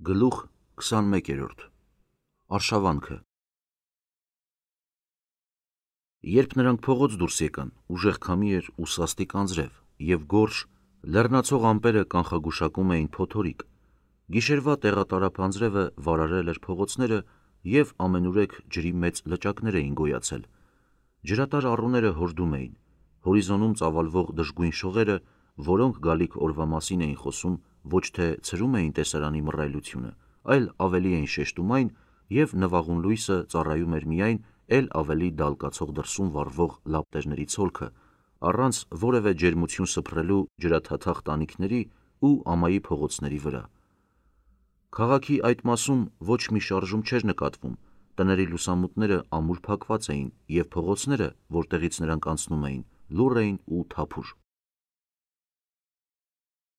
Գլուխ 21 Արշավանքը Երբ նրանք փողոց դուրս եկան, ուժեղ քամի էր ու սաստիկ անձրև, և գորշ, լեռնացող ամպերը կանխագուշակում էին փոթորիկ, գիշերվա տեղատարափ անձրևը վարարել էր փողոցները և ամենուրեք ջրի մեծ լճակներ էին գոյացել, ջրատար առուները հորդում էին, հորիզոնում ծավալվող դժգույն շողերը, որոնք գալիք օրվա մասին էին խոսում, ոչ թե ցրում էին տեսարանի մռայլությունը, այլ ավելի էին շեշտում այն, և նվաղուն լույսը ծառայում էր միայն էլ ավելի դալկացող դրսում վառվող լապտերների ցոլքը, առանց որևէ ջերմություն սփռելու ջրաթաթախ տանիքների ու ամայի փողոցների վրա։ Քաղաքի այդ մասում ոչ մի շարժում չէր նկատվում, տների լուսամուտները ամուր փակված էին, և փողոցները, որտեղից նրանք անցնում էին, լուռ էին ու թափուր։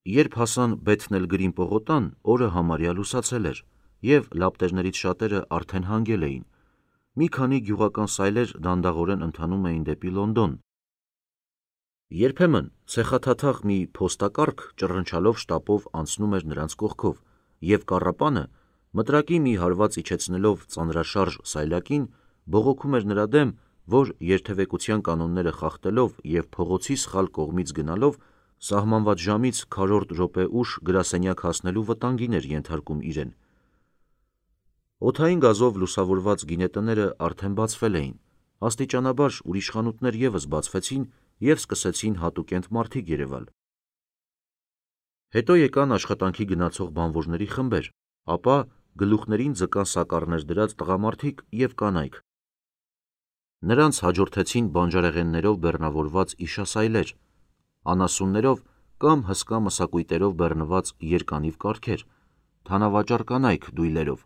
Երբ հասան Բեթն-էլ-Գրին պողոտան, օրը համարյա լուսացել էր, և լապտերներից շատերը արդեն հանգել էին։ Մի քանի գյուղական սայլեր դանդաղորեն ընթանում էին դեպի Լոնդոն։ Երբեմն ցեխաթաթախ մի փոստակառք ճռնչալով շտապով անցնում էր նրանց կողքով, և կառապանը, մտրակի մի հարված իջեցնելով ծանրաշարժ սայլակին, բողոքում էր նրա դեմ, որ երթևեկության կանոնները խախտելով և փողոցի սխալ կողմից գնալով սահմանված ժամից քառորդ րոպե ուշ գրասենյակ հասնելու վտանգին էր ենթարկում իրեն։ Օդային գազով լուսավորված գինետները արդեն բացվել էին, աստիճանաբար ուրիշ խանութներ ևս բացվեցին և սկսեցին հատուկենտ մարդիկ երևալ։ Հետո եկան աշխատանքի գնացող բանվորների խմբեր, ապա գլուխներին ձկան սակառներ դրած տղամարդիկ և կանայք։ Նրանց հաջորդեցին բանջարեղեններով բեռնավորված իշասայլեր, անասուններով կամ հսկա մսակույտերով բեռնված երկանիվ կառքեր, թանավաճառ կանայք դույլերով,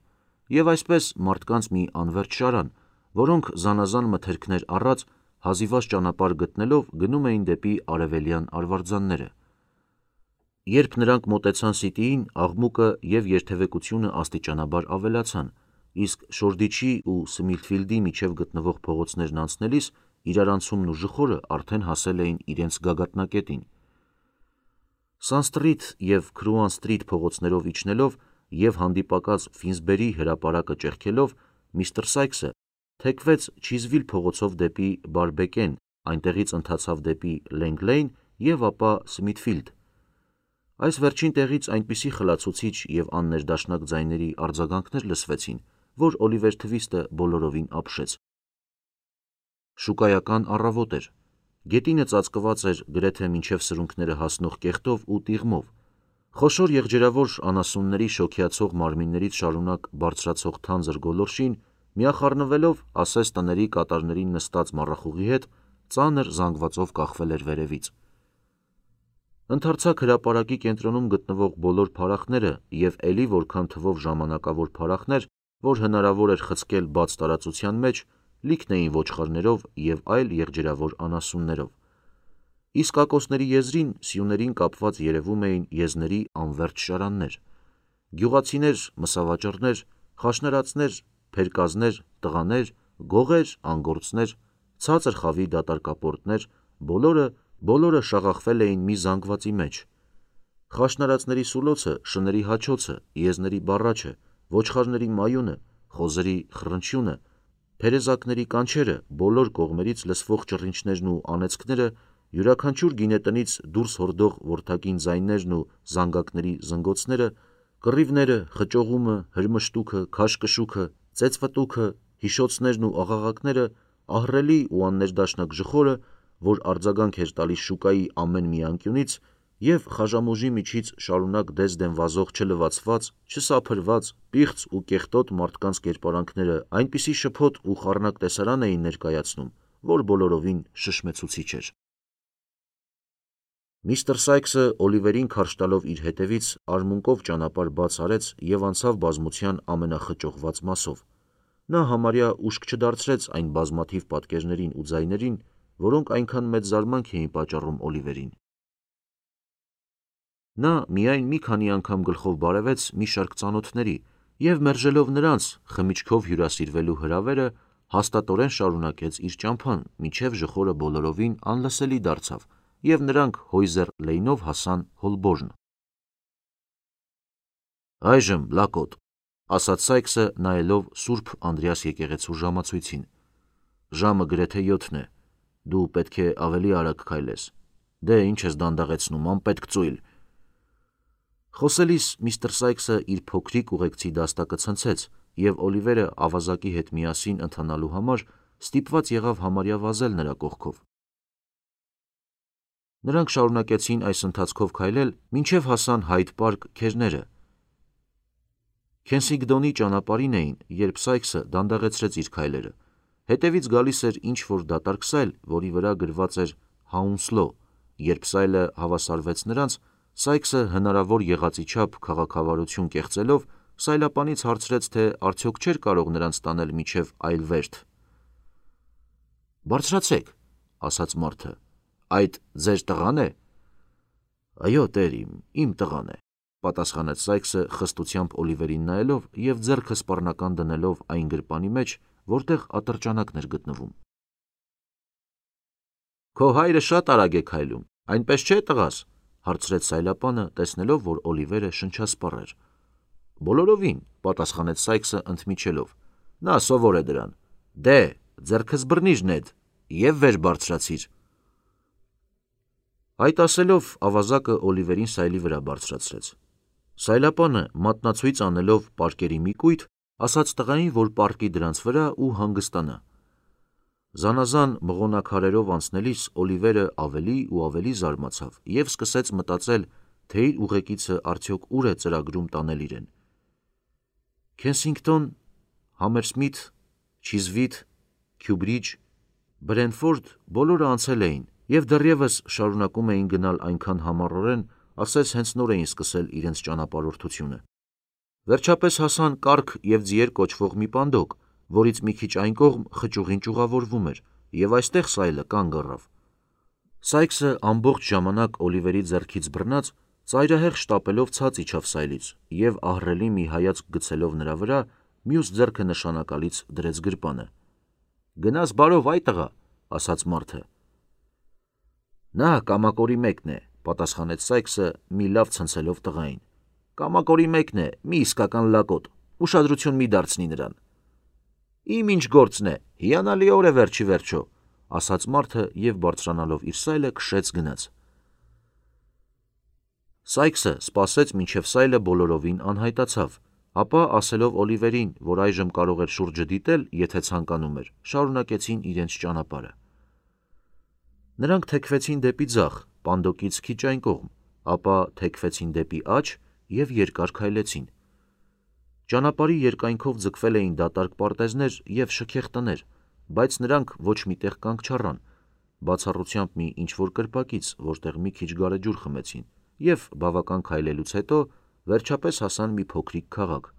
և այսպես մարդկանց մի անվերջ շարան, որոնք զանազան մթերքներ առած, հազիվազ ճանապարհ գտնելով գնում էին դեպի արևելյան արվարձանները։ Երբ նրանք մոտեցան Սիթիին, աղմուկը և երթևեկությունը աստիճանաբար ավելացան, իսկ Շորդիչի ու Սմիթֆիլդի միջև գտնվող փողոցներն անցնելիս իրարանցումն ու ժխորը արդեն հասել էին իրենց գագաթնակետին։ Սանստրիթ և Քրուան սթրիթ փողոցներով իջնելով և հանդիպակաց Ֆինսբերի հրապարակը ճեղքելով, միստր Սայքսը թեքվեց Չիզվիլ փողոցով դեպի Բարբեկեն, այնտեղից ընթացավ դեպի Լենք Լեյն և ապա Սմիթֆիլդ։ Այս վերջին տեղից այնպիսի խլացուցիչ և աններդաշնակ ձայների արձագանքներ լսվեցին, որ Օլիվեր Թվիստը բոլորովին ապշեց։ Շուկայական առավոտ էր։ Գետինը ծածկված էր գրեթե մինչև սրունքները հասնող կեղտով ու տիղմով։ Խոշոր եղջերավոր անասունների շոգյացող մարմիններից շարունակ բարձրացող թանձր գոլորշին, միախառնվելով ասես տների կատարներին նստած մառախուղի հետ, ծանր զանգվածով կախվել էր վերևից։ Ընդարձակ հրապարակի կենտրոնում գտնվող բոլոր փարախները և էլի որքան թվով ժամանակավոր փարախներ, որ հնարավոր էր խցկել բաց տարածության մեջ, լիքն էին ոչխարներով և այլ եղջերավոր անասուններով։ Իսկակոսների եզրին սյուներին կապված երևում էին եզների անվերջ շարաններ։ Գյուղացիներ, մսավաճառներ, խաշնարածներ, փերկազներ, տղաներ, գողեր, անգործներ, ցածր խավի դատարկապորտներ, բոլորը շաղախվել էին մի զանգվածի մեջ։ Խաշնարածների սուլոցը, շների հաչոցը, եզների բառաչը, ոչխարների մայունը, խոզերի խռնչյունը, փերեզակների կանչերը, բոլոր կողմերից լսվող ճռինչներն ու անեծքները, յուրաքանչյուր գինետնից դուրս հորդող որդակին ձայներն ու զանգակների զնգոցները, կռիվները, խճողումը, հրմշտուքը, քաշքշուքը, ծեծվտուքը, հիշոցներն ու աղաղակները, ահռելի ու աններդաշնակ ժխորը, որ արձագանք էր տալիս շուկայի ամեն մի անկյունից, և խաժամոժի միջից շարունակ դեսդեն վազող չլվացված, չսափրված, պիղծ ու կեղտոտ մարդկանց կերպարանքները այնպիսի շփոթ ու խառնակ տեսարան էին ներկայացնում, որ բոլորովին շշմեցուցիչ էր։ Միստր Սայքսը Օլիվերին քարշ տալով իր հետևից արմունկով ճանապարհ բաց արեց և անցավ բազմության ամենախճողված մասով։ Նա համարյա ուշք չդարձրեց այն բազմաթիվ պատկերներին ու ձայներին, որոնք այնքան մեծ զարմանք էին պատճառում Օլիվերին։ Նա միայն մի քանի անգամ գլխով բարևեց մի շարք ծանոթների և մերժելով նրանց խմիչքով հյուրասիրվելու հրավերը, հաստատորեն շարունակեց իր ճամփան, մինչև ժխորը բոլորովին անլսելի դարձավ, և նրանք Հոյզեր Լեյնով հասան Հոլբորն։ Այժմ լակոտ, ասաց Սայքսը նայելով Սուրբ Անդրեաս եկեղեցու ժամացույցին։ Ժամը գրեթե 7 է, դու պետք է ավելի արագ քայլես, դե ինչ ես դանդաղեցնում, անպետք ծույլ։ Խոսելիս միստր Սայքսը իր փոքրիկ ուղեկցի դաստակը ցնցեց, և Օլիվերը ավազակի հետ միասին ընթանալու համար ստիպված եղավ համարյա վազել նրա կողքով։ Նրանք շարունակեցին այս ընթացքով քայլել, մինչև հասան Հայդ Պարկ քերները։ Քենսինգդոնի ճանապարհին էին, երբ Սայքսը դանդաղեցրեց իր քայլերը։ Հետևից գալիս էր ինչ-որ դատարկ սայլ, որի վրա գրված էր Հաունսլո։ Երբ սայլը հավասարվեց նրանց, Սայքսը հնարավոր եղածի չափ քաղաքավարություն կեղծելով սայլապանից հարցրեց, թե արդյոք չէր կարող նրանց տանել մինչև այլ վերթ։ «Բարձրացեք», ասաց մարդը, «այդ ձեր տղան է»։ «Այո, տեր, իմ տղան է», պատասխանեց Սայքսը խստությամբ Օլիվերին նայելով և ձեռքը սպառնական դնելով այն գրպանի մեջ, որտեղ ատրճանակն էր գտնվում։ «Քո հայրը շատ արագ է քայլում, այնպես չէ, տղաս», հարցրեց սայլապանը, տեսնելով, որ Օլիվերը շնչասպառ էր։ «Բոլորովին», պատասխանեց Սայքսը ընդմիջելով, «նա սովոր է դրան։ Դե, ձեռքս բռնիր, Նեդ, և վեր բարձրացիր»։ Այդ ասելով ավազակը Օլիվերին սայլի վրա բարձրացրեց։ Սայլապանը, մատնացույց անելով պարկերի մի կույտ, ասաց տղային, որ պառկի դրանց վրա ու հանգստանա։ Զանազան մղոնակարերով անցնելիս Օլիվերը ավելի ու ավելի զարմացավ և սկսեց մտածել, թե իր ուղեկիցը արդյոք ուր է ծրագրում տանել իրեն։ Քենսինգտոն, Համերսմիթ, Չիզվիթ, Քյուբրիջ, Բրենֆորդ բոլորը անցել էին և դեռևս շարունակում էին գնալ այնքան համառորեն, ասես հենց նոր էին սկսել իրենց ճանապարհորդությունը։ Վերջապես հասան Կառք և Ձիեր կոչվող մի պանդոկ, որից մի քիչ այն կողմ խճուղին ճյուղավորվում էր, և այստեղ սայլը կանգ առավ։ Սայքսը ամբողջ ժամանակ Օլիվերի ձեռքից բռնած, ծայրահեղ շտապելով ցած իջավ սայլից և ահռելի մի հայացք գցելով նրա վրա, մյուս ձեռքը նշանակալից դրեց գրպանը։ «Գնաս բարով, այ տղա», ասաց մարդը։ «Նա կամակորի մեկն է», պատասխանեց Սայքսը, մի լավ ցնցելով տղային։ «Կամակորի մեկն է, մի իսկական լակոտ, ուշադրություն մի դարձնի նրան»։ «Իմ ինչ գործն է, հիանալի օր է վերջ ի վերջո», ասաց մարդը և բարձրանալով իր սայլը քշեց գնաց։ Սայքսը սպասեց, մինչև սայլը բոլորովին անհայտացավ, ապա ասելով Օլիվերին, որ այժմ կարող էր շուրջը դիտել, եթե ցանկանում էր, շարունակեցին իրենց ճանապարհը։ Նրանք թեքվեցին դեպի ձախ, պանդոկից քիչ այն կողմ, ապա թեքվեցին դեպի աջ և երկար քայլեցին։ Ճանապարհի երկայնքով ձգվել էին դատարկ պարտեզներ և շքեղ տներ, բայց նրանք ոչ մի տեղ կանգ չառան, բացառությամբ մի ինչ-որ կրպակից, որտեղ մի քիչ գարեջուր խմեցին, և բավական քայլելուց հետո վերջապես հասան մի փոքրիկ քաղաք։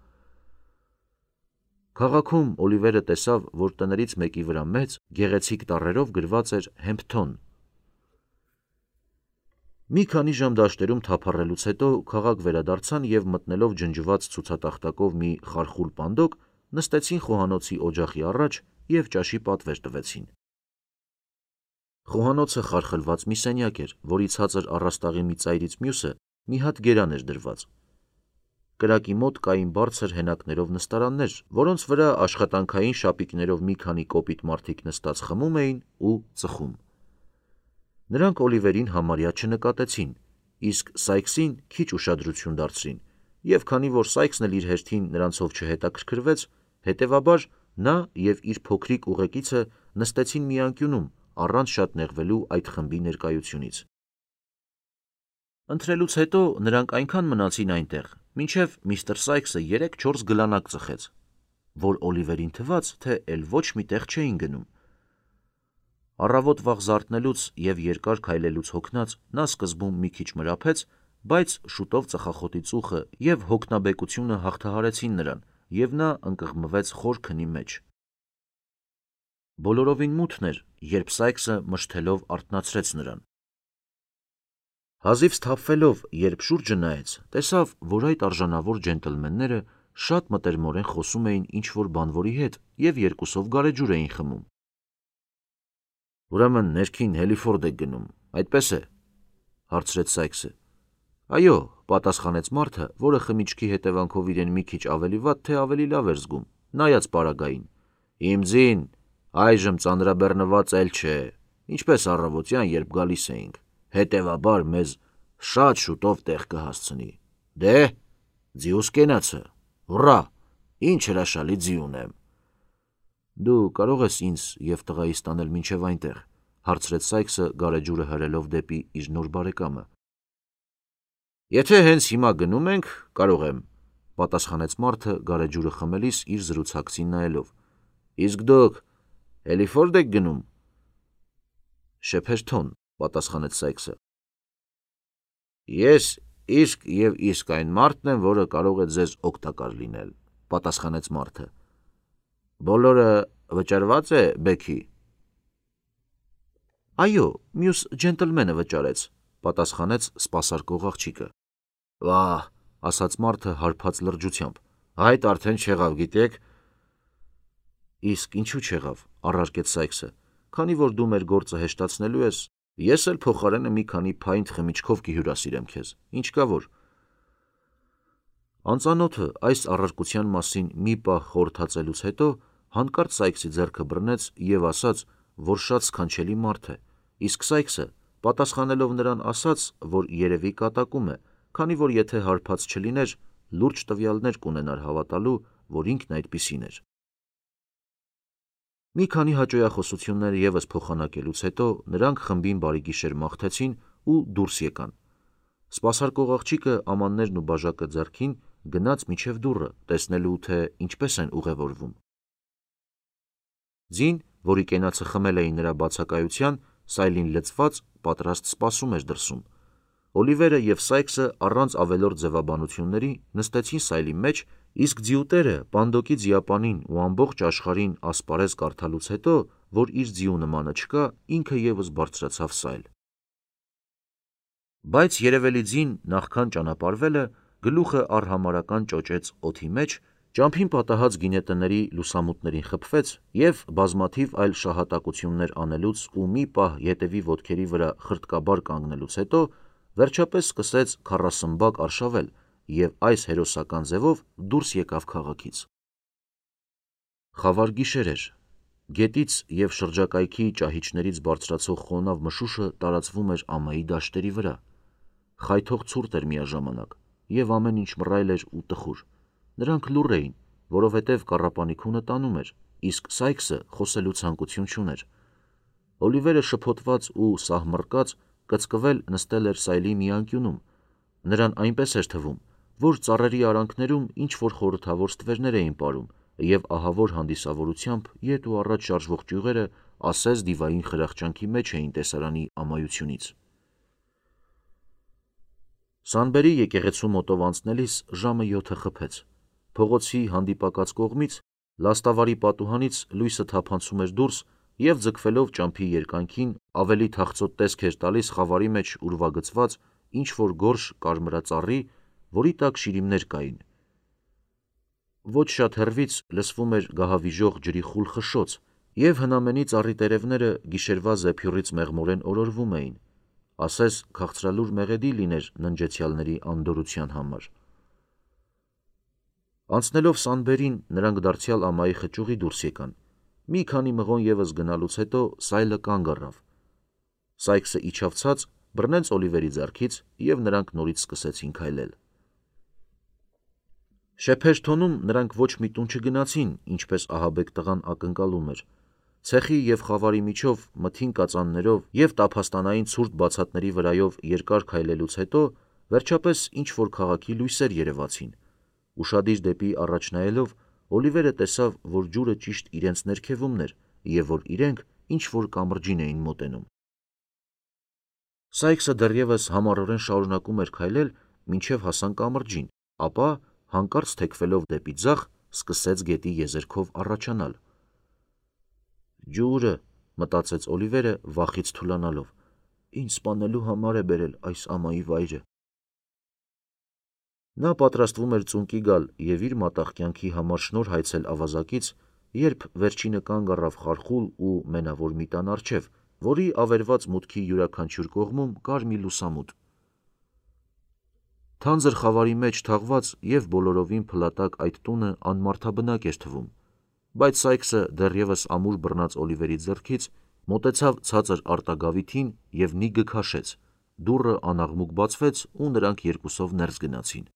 Քաղաքում Օլիվերը տեսավ, որ տներից մեկի վրա մեծ, գեղեցիկ տառերով գրված էր Հեմփթոն։ Մի քանի ժամ դաշտերում թափառելուց հետո քաղաք վերադարձան և մտնելով ջնջված ցուցատախտակով մի խարխուլ պանդոկ, նստեցին խոհանոցի օջախի առաջ և ճաշի պատվեր տվեցին։ Խոհանոցը խարխլված մի սենյակ էր, որի ցածր առաստաղի մի ծայրից մյուսը մի հատ գերան էր դրված։ Կրակի մոտ կային բարձր հենակներով նստարաններ, որոնց վրա աշխատանքային շապիկներով մի քանի կոպիտ մարդիկ նստած խմում էին ու ծխում։ Նրանք Օլիվերին համարյա չնկատեցին, իսկ Սայքսին քիչ ուշադրություն դարձրին, և քանի որ Սայքսն էլ իր հերթին նրանցով չհետաքրքրվեց, հետևաբար նա և իր փոքրիկ ուղեկիցը նստեցին մի անկյունում, առանց շատ նեղվելու այդ խմբի ներկայությունից։ Ընթրելուց հետո նրանք այնքան մնացին այնտեղ, մինչև միստր Սայքսը 3-4 գլանակ ծխեց, որ Օլիվերին թվաց, թե էլ ոչ մի տեղ չէին գնում։ Առավոտ վաղ զարթնելուց և երկար քայլելուց հոգնած նա սկզբում մի քիչ մրափեց, բայց շուտով ծխախոտի ծուխը և հոգնաբեկությունը հաղթահարեցին նրան, և նա ընկղմվեց խոր քնի մեջ։ Բոլորովին մութն էր, երբ Սայքսը մշթելով արթնացրեց նրան։ Հազիվ սթափվելով, երբ շուրջը նայեց, տեսավ, որ այդ արժանավոր ջենտլմենները շատ մտերմորեն խոսում էին ինչ-որ բանվորի հետ և երկուսով գարեջուր էին խմում։ «Ուրեմն ներքին Հելիֆորդ եք գնում, այդպես է», հարցրեց Սայքսը։ Այո, պատասխանեց մարդը, որը խմիչքի հետևանքով իրեն մի քիչ ավելի վատ, թե ավելի լավ էր զգում, նայած պարագային։ Իմ ձին, այժմ ծանրաբեռնված էլ չէ, ինչպես առավոտյան, երբ գալիս էինք, հետևաբար մեզ շատ շուտով տեղ կհասցնի։ Դե, ձիուս կենացը, հուռա, ինչ հրաշալի ձի ունեմ։ Դու կարող ես ինձ և տղայիս տանել մինչև այնտեղ, հարցրեց Սայքսը գարեջուրը հրելով դեպի իր նոր բարեկամը։ Եթե հենց հիմա գնում ենք, կարող եմ, պատասխանեց մարդը գարեջուրը խմելիս իր զրուցակցին նայելով։ Իսկ դուք էլի եք գնում։ Շեփեշտոն, պատասխանեց Սայքսը։ Ես իսկ և իսկ այն մարդն եմ, որը կարող է ձեզ օգտակար լինել, պատասխանեց մարդը։ Բոլորը վճարված է, Բեքի։ Այո, մյուս ջենտլմենը վճարեց, պատասխանեց սպասարկող աղջիկը։ Վահ, ասաց մարդը հարբած լրջությամբ, այդ արդեն չեղավ, գիտեք։ Իսկ ինչու չեղավ, առարկեց Սայքսը, քանի որ դու մեր գործը հեշտացնելու ես, ես էլ փոխարենը մի քանի փայնտ խմիչքով կհյուրասիրեմ քեզ, ինչ կա որ։ Անծանոթը այս առարկության մասին մի պահ խորհրդածելուց հետո հանկարծ Սայքսի ձեռքը բռնեց և ասաց, որ շատ սքանչելի մարդ է, իսկ Սայքսը, պատասխանելով նրան, ասաց, որ երևի կատակում է, քանի որ եթե հարբած չլիներ, լուրջ տվյալներ կունենար հավատալու, որ ինքն այդպիսին էր։ Մի քանի հաճոյախոսություններ ևս փոխանակելուց հետո նրանք խմբին բարիգիշեր մաղթեցին ու դուրս եկան։ Սպասարկող աղջիկը ամաններն ու բաժակը ձեռքին գնաց մինչև դուռը, տեսնելու, թե ինչպես են ուղևորվում։ Ձին, որի կենացը խմել էին նրա բացակայության, սայլին լցված, պատրաստ սպասում էր դրսում։ Օլիվերը և Սայքսը առանց ավելորդ ձևաբանությունների նստեցին սայլի մեջ, իսկ ձիուտերը պանդոկի ձիապանին ու ամբողջ աշխարհին ասպարեզ կարդալուց հետո, որ իր ձիու նմանը չկա, ինքը ևս բարձրացավ սայլ։ Բայց երևելի ձին, նախքան ճանապարհվելը, գլուխը արհամարհական ճոճեց օդի մեջ, ճամփին պատահած գինետների լուսամուտներին խփվեց և բազմաթիվ այլ շահատակություններ անելուց ու մի պահ ետևի ոտքերի վրա խրտկաբար կանգնելուց հետո, վերջապես սկսեց քառասմբակ արշավել և այս հերոսական ձևով դուրս եկավ քաղաքից։ Խավար գիշեր էր։ Գետից և շրջակայքի ճահիճներից բարձրացող խոնավ մշուշը տարածվում էր ամայի դաշտերի վրա։ Խայթող ցուրտ էր միաժամանակ, և ամեն ինչ մռայլ էր ու տխուր։ Նրանք լուռ էին, որովհետև կառապանիքունը տանում էր, իսկ Սայքսը խոսելու ցանկություն չուներ։ Օլիվերը շփոթված ու սահմռկած կծկվել նստել էր սայլի մի անկյունում։ Նրան այնպես էր թվում, որ ծառերի արանքներում ինչ-որ խորհրդավոր ստվերներ էին պարում, և ահավոր հանդիսավորությամբ ետ ու առաջ շարժվող ճյուղերը ասես դիվային խրախճանքի մեջ էին տեսարանի ամայությունից։ Սանբերի եկեղեցու մոտով անցնելիս ժամը 7-ը խփեց։ Փողոցի հանդիպակաց կողմից, լաստավարի պատուհանից լույսը թափանցում էր դուրս և ձգվելով ճամփի երկայնքին ավելի թախծոտ տեսք էր տալիս խավարի մեջ ուրվագծված ինչ-որ գորշ կարմրածառի, որի տակ շիրիմներ կային։ Ոչ շատ հեռվից լսվում էր գահավիժող ջրի խուլ խշշոց, և հնամենի ծառի տերևները գիշերվա զեփյուռից մեղմորեն օրորվում էին, ասես քաղցրալուր մեղեդի լիներ ննջեցյալների անդորրության համար։ Անցնելով Սանբերին, նրանք դարձյալ ամայի խճուղի դուրս եկան։ Մի քանի մղոն ևս գնալուց հետո սայլը կանգ առավ։ Սայքսը իջավ ցած, բռնեց Օլիվերի ձեռքից, և նրանք նորից սկսեցին քայլել։ Շեփեշտոնում նրանք ոչ մի տուն չգնացին, ինչպես ահաբեկ տղան ակնկալում էր։ Ցեխի և խավարի միջով մթին կածաններով և տափաստանային ցուրտ բացատների վրայով երկար քայլելուց հետո վերջապես ինչ-որ քաղաքի լույսեր երևացին։ Ուշադիր դեպի առաջ նայելով, Օլիվերը տեսավ, որ ջուրը ճիշտ իրենց ներքևումն էր և որ իրենք ինչ-որ կամրջին էին մոտենում։ Սայքսը դեռևս համառորեն շարունակում էր քայլել, մինչև հասան կամրջին, ապա, հանկարծ թեքվելով դեպի ձախ, սկսեց գետի եզերքով առաջանալ։ «Ջուրը», մտածեց Օլիվերը, վախից թուլանալով, «ինձ սպանելու համար է բերել այս ամայի վայրը»։ Նա պատրաստվում էր ծունկի գալ և իր մատաղ կյանքի համար շնորհ հայցել ավազակից, երբ վերջինը կանգ առավ խարխուլ ու մենավոր մի տան առջև, որի ավերված մուտքի յուրաքանչյուր կողմում կար մի լուսամուտ։ Թանձր խավարի մեջ թաղված և բոլորովին փլատակ այդ տունը անմարդաբնակ էր թվում, բայց Սայքսը դեռևս ամուր բռնած Օլիվերի ձեռքից մոտեցավ ցածր արտագավիթին և Նիգը քաշեց, դուռը անաղմուկ բացվեց ու նրանք երկուսով ներս գնացին: